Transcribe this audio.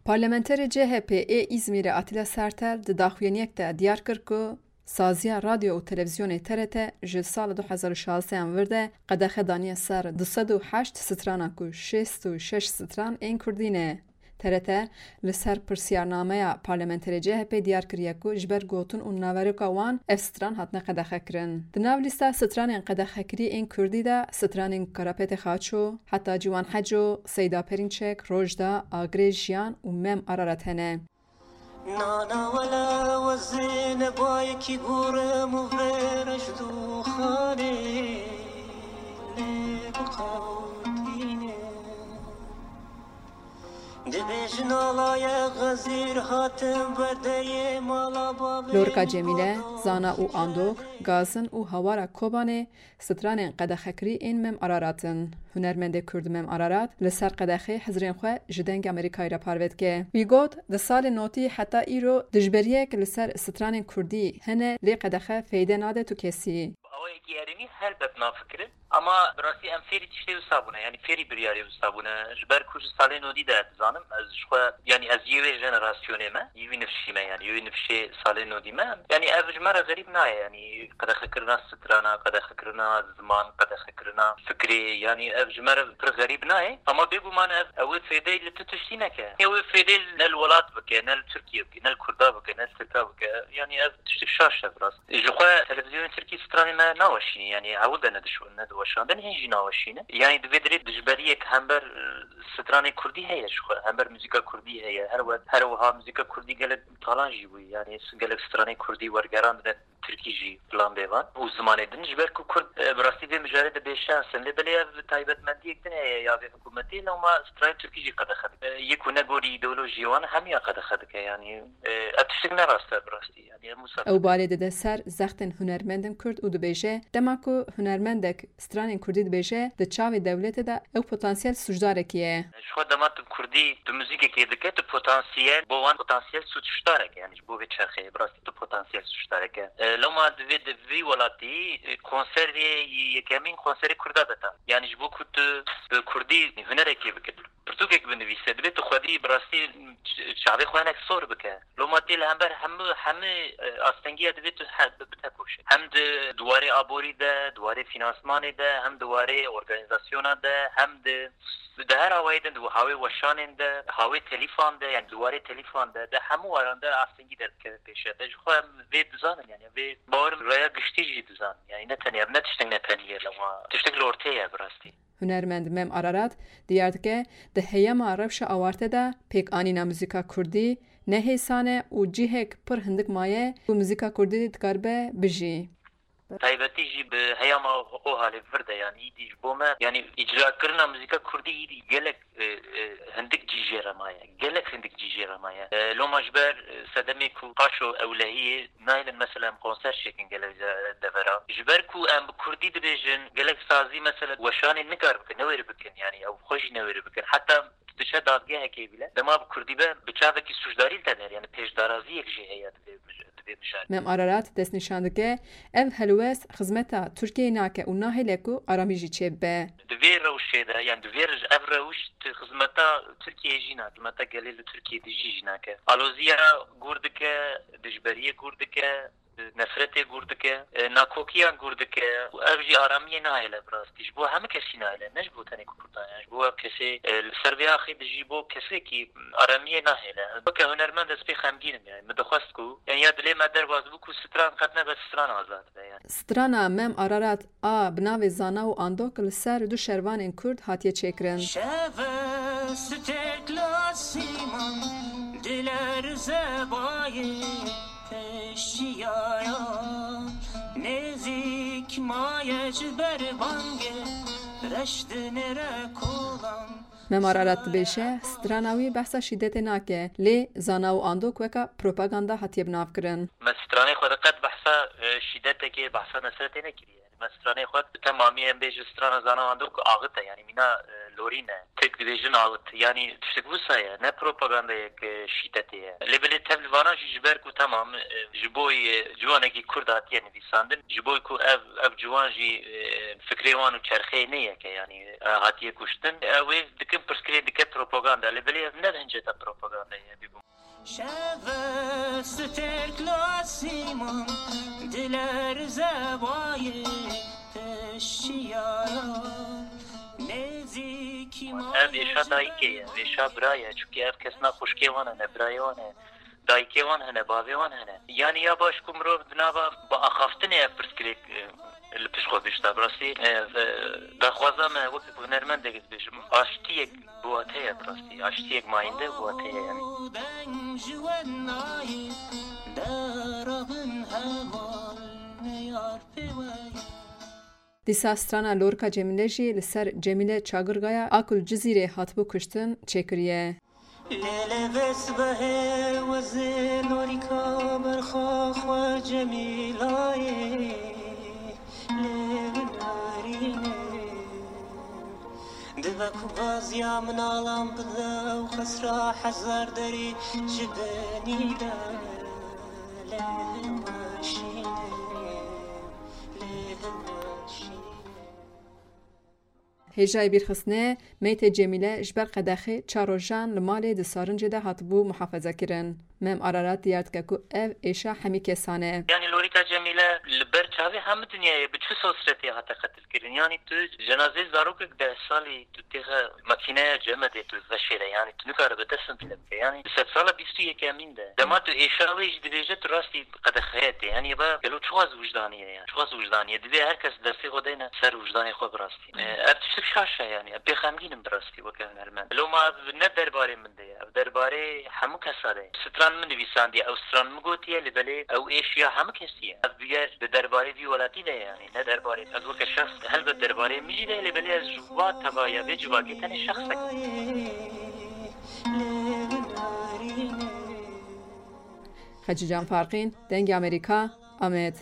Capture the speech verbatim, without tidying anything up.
Parlamenterê C H P ê Îzmîrê Atilla Sertel di daxuyaniyek de diyar kir ku saziya radyo û televîzyonê T R T ji sala du hezar û şazdehan vir de qedexe daniye ser du sed û heşt strana ku şêst û şeş stran ên kurdî ne. T R T li ser pirsiyarnameya parlamenterê C H P diyar kiriye ku ji ber gotin û naveroka wan ev stran hatine qedexekirin. Di nav lîsta stranên qedexekirî ên kurdî de stranên Karapetê Xaço, Heta Ciwan Heco, Seyda Perînçek, Rojda, Agirê Jiyan û Mem Ararat hene. Nana wele wezine bayekî gurim û vêreş dûxanê lê biqewtîne. Dibêjin alaye xezîr hatin berdeyê mala bavê. Lorika Cemîle, zana û andok, gazin û hawara Kobanê, stranên qedexekirî ên Mem Ararat in. Hunermendê Kurd Mem Ararat li ser qedexê hizrên xwe ji Dengê Amerîkayê re parve dike. Wî got, di salên notî heta îro dijberiyek li ser stranên kurdî hene, lê qedexe feyde nade tu kesî. Awayekî erênî helbet nafikirin. Ama bi rastî em fêrî tiştê wisa bûne, yanî fêrî biryarê wisa bûne. Ji ber ku ji salên nodî de dizanim, ez ji xwe, yanî ez yê wê jenerasyonê me, yê wî nifşî me, yanî yê wî nifşê salên nodî me. Yanî ev ji me re xerîb nayê, yanî qedexekirina strana, qedexekirina ziman, qedexekirina fikrê, yanî ev ji me re pir xerîb nayê. Ama bêguman ev, ew ê fêdeyê li tu tiştî neke. Ew ê fêdeyê ne li welat bike, ne li Tirkiye bike, ne li Kurda bike, ne li Tirka bike. Yanî ev tiştek şaş e bi rast. Ji xwe televîzyonên Tirkî stranê me naweşînin, yanî ewil de ne dişo-, ne diweşandin, hîn jî naweşînin. Yanî di vê dirê dijberiyek hember, e, stranê kurdî heye ji xwe, hember muzîka kurdî heye. Her we-, her wiha muzîka kurdî gelek talan jî bûye, yanî gelek stranê kurdî wergerandine tirkî jî filan bêvan û zimanê din. Ji ber ku kurd, e, bi rastî vê mijarê de bêşans in. Lê belê ev taybetmendiyek din heye ya vê hikûmetê, lewma stranê tirkî jî qedexe dike. E, yê ku ne gorî îdeolojiyê wan hemiya qedexe dike, yanî, e, ev tiştek ne rast e bi rastî. Yanî em wisa Ew balê dide ser zextên hunermendên Kurd û dibêje, dema ku hunermendek stranên Kurdî dibêje, di çavê dewletê de ew potansiyel sûcdarekî ye. Ji xwe dema tu Kurdî, tu muzîkekê dike, tu potansiyel, bo wan potansiyel sûcdarek e, yanî ji bo vê çerxeyê, bi rastî tu potansiyel sûcdarek e. E, lewma divê di vî welatî, e, konserê yekemîn konserê Kurda beta. Yanî ji bo ku tu bi Kurdî hunerekê bike, pirtûkek binivîse, divê tu xwedî bi rastî ç-, çavê xwe hinek sor bike. Loma tê li hember hemû, hemû, e, astengiya divê tu he-, bi-, bitekoşe. Hem di, di warê aborî de, di warê fînansmanê de, hem di warê organîzasyona de, hem di, di her awayê din, di hawê weşanên de, hawê telîfan de, yani di warê telîfan de, di hemû waran de astengî derdikeve pêşe. De ji xwe em vê dizanin, yani vê bawer raya giştî jî dizanin. Yani ne tenê ev, ne tiştek ne tenê ye loma. Tiştek li ortê ye bi rastî. Hunermend Mem Ararat diyar dike, di heyama rewşa awarte de pêkanîna muzîka kurdî ne hêsan e û cihek pir hindik maye ku muzîka kurdî dikaribe bijî. Taybetî jî bi heyama OHALê vir de, yanî îdî ji bo me, yanî îcrakirina muzîka kurdî îdî gelek, e, e, hindik cî jê re maye. Gelek hindik cî jê re maye. E, loma ji ber, e, sedemê ku paşo ewlehiyê nayêlin mesela em konser çêkin gelek de-, devera. Ji ber ku em bi kurdî dibêjin, gelek sazî mesela weşanê nikar bikin, newêre bikin, yanî ew xwe jî newêre bikin. Heta tu diçe dadgehekê bile, dema bi kurdî be, bi çavekî sûcdarî li te der, yanî pêşdaraziyek jî heye di vê mij-, di vê mijarê. Mem Ararat destnîşan dike, ev helwest xizmeta Tirkiyeyê nake û nahêle ku aramî jî çêbibe. Di vê rewşê de, yanî di vê re-, ev rewş di xizmeta Tirkiyeyê jî nake, xizmeta gelê li Tirkiyeyê dijî jî nake. Aloziya gûr dike, dijberiyê gûr dike, nefretê gûr dike, nakokiyan gûr dike û ev jî aramiyê nahêle bi rastî. Ji bo hemû kesî nahêle, ne ji bo tenê Kurdan, yani ji bo ev kesê, e, li ser vê axê dijî bo kesekî aramiyê nahêle. Weke hunermend ez pê xemgîn im, yani min dixwest ku, yani ya dilê me derbas bû ku stran qet nebe stran azad be, yani. Strana Mem Ararat a bi navê Zana û Andok li ser du şervanên Kurd hatiye çêkirin. Şeve stêrk li asîman, dilerze bayê peşiyaya, nêzîk maye ji ber bangê, reş dinêre kolan. Mem Ararat dibêje, strana wî behsa şîdetê nake, lê Zana û Andok weka propaganda hatiye binavkirin. Me stranê xwe de qet behsa, e, şîdetekê, behsa nefretê nekiriye. Me stranê xwe bi temamî, em bêjin strana Zana û Andok axite, yanî mîna, e, Lorî ne. Tirk dibêjin awit. Yanî tiştek wisa ye. Ne propagandayek, e, şîdetê ye. Lê belê tev li vana jî ji ber ku temam, e, ji bo, e, ciwanekî Kurd hatiye nivîsandin. Ji bo ku ev, ev ciwan jî, e, fikrê wan û çerxeyê neyeke, yanî, e, hatiye kuştin. Ew ê dikin pirsgirê dike propaganda. Lê belê ev ne hinceta propagandayê ye, bîbû. Şeve stêrk lasîman dilerze bayê teşiyaya nêzîkî. Ev êşa dayikê ye, êşa bira ye, çunkî ev kesna xwişkê wan hene, birayê wan hene, dayikê wan hene, bavê wan hene. Yanî ya baş ku mirov di nava biaxaftinê ev pirsgirêk, e, li pişt xwe bişta. Bi rastî, e, e, daxwaza me wek hunermendek dibêjim, aştiyek bi wateye bi rastî. Aştiyek mayînde bi wateye yani. Deng ji we nayê, derabin heval neyar pê we. Dîsa strana Lorika Cemîle jî li ser Cemîle Çagirgaya a ku li Cizîrê hatibû kuştin çêkiriye. Lê lê vê sibehê wezê Lorîka berxa xwe Cemîlayê, lê winarîne. Dibe ku gaziya minalan bide û xesra hezar derî ji benî de, lê weşîne, lê weşîne. Hêjayê bîrxistinê, meytê Cemîle ji ber qedexê çar rojan li malê di Sarincê de hatibû muhafaza kirin. Mem Ararat diyar dike ku ev êşa hemî kesan e. Yanî Lorîka Cemîle li ber çavê hemî dinyayê bi çi sosretê hate qetilkirin. Yanî tu cenazeyê zarokek deh salî tu têxe makîneya cemedê tu veşêre. Yanî tu nikare bi dest min tune bike. Yanî di sedsala bîst û yekemîn de. Dema tu êşa wê jî dibêje tu rastî qedexeye tê. Yanî ba gelo çiqas wijdanî ye yani. Çiqas wijdanî ye. Divê her kes destê xwe deyne ser wijdanê xwe bi rastî. E, ev tiştek şaş e yani. Em pê xemgîn in bi rastî weke hunermend. Loma ev ne derbarê min de ye. Ev derbarê hemû kesa de ye. Stran min nivîsandiye. Ew stran min gotiye, lê belê ew êşiya hemû kesî ye. Ev bûyer di derbarê vî welatî de ye yani. Ne derbarê. Ez weke şexs helbet derbarê min jî de ye, lê belê ez ji va tevaya vê civakê tenê şexsek im. Xecîcan Farqîn, Dengê Amerîka, Amed.